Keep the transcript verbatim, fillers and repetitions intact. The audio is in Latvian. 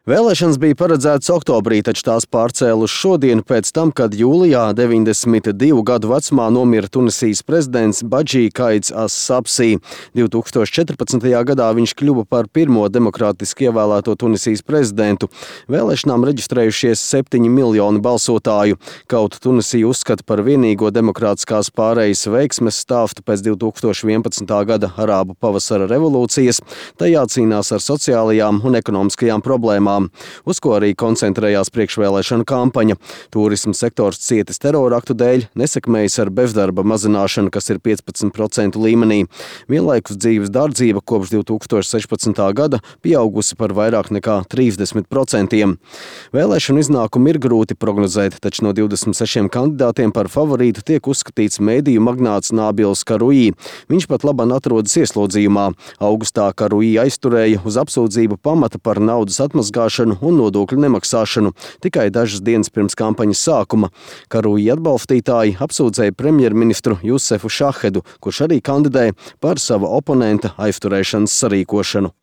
Vēlēšanas bija paredzētas oktobrī, taču tās pārcēla uz šodienu pēc tam, kad jūlijā deviņdesmit divu gadu vecumā nomira Tunisijas prezidents Badži Kaids as-Sabsi. divi tūkstoši četrpadsmitajā gadā viņš kļuva par pirmo demokrātiski ievēlēto Tunisijas prezidentu. Vēlēšanām reģistrējušies septiņi miljoni balsotāju. Kaut Tunisija uzskata par vienīgo demokrātiskās pārejas veiksmes stāstu pēc divi tūkstoši vienpadsmitā gada arābu pavasara revolūcijas, tajā cīnās ar sociālajām un ekonomiskajām problēmām, uz ko arī koncentrējās priekšvēlēšanu kampaņa. Turisma sektors cietis terora aktu dēļ, nesekmējas ar bezdarba mazināšanu, kas ir piecpadsmit procentu līmenī. Vienlaikus dzīves dārdzība kopš divi tūkstoši sešpadsmitā gada pieaugusi par vairāk nekā trīsdesmit procentiem. Vēlēšanu iznākumu ir grūti prognozēt, taču no divdesmit sešiem kandidātiem par favorītu tiek uzskatīts mēdīju magnāts Nabils Karuī. Viņš pat labāk atrodas ieslodzījumā. Augustā Karuī aizturēja uz apsūdzību pamata par naudas atmazgāšanu un nodokļu nemaksāšanu tikai dažas dienas pirms kampaņas sākuma. Karuī atbalstītāji apsūdzēja premjerministru Jusefu Šahedu, kurš arī kandidē, par sava oponenta aizturēšanas sarīkošanu.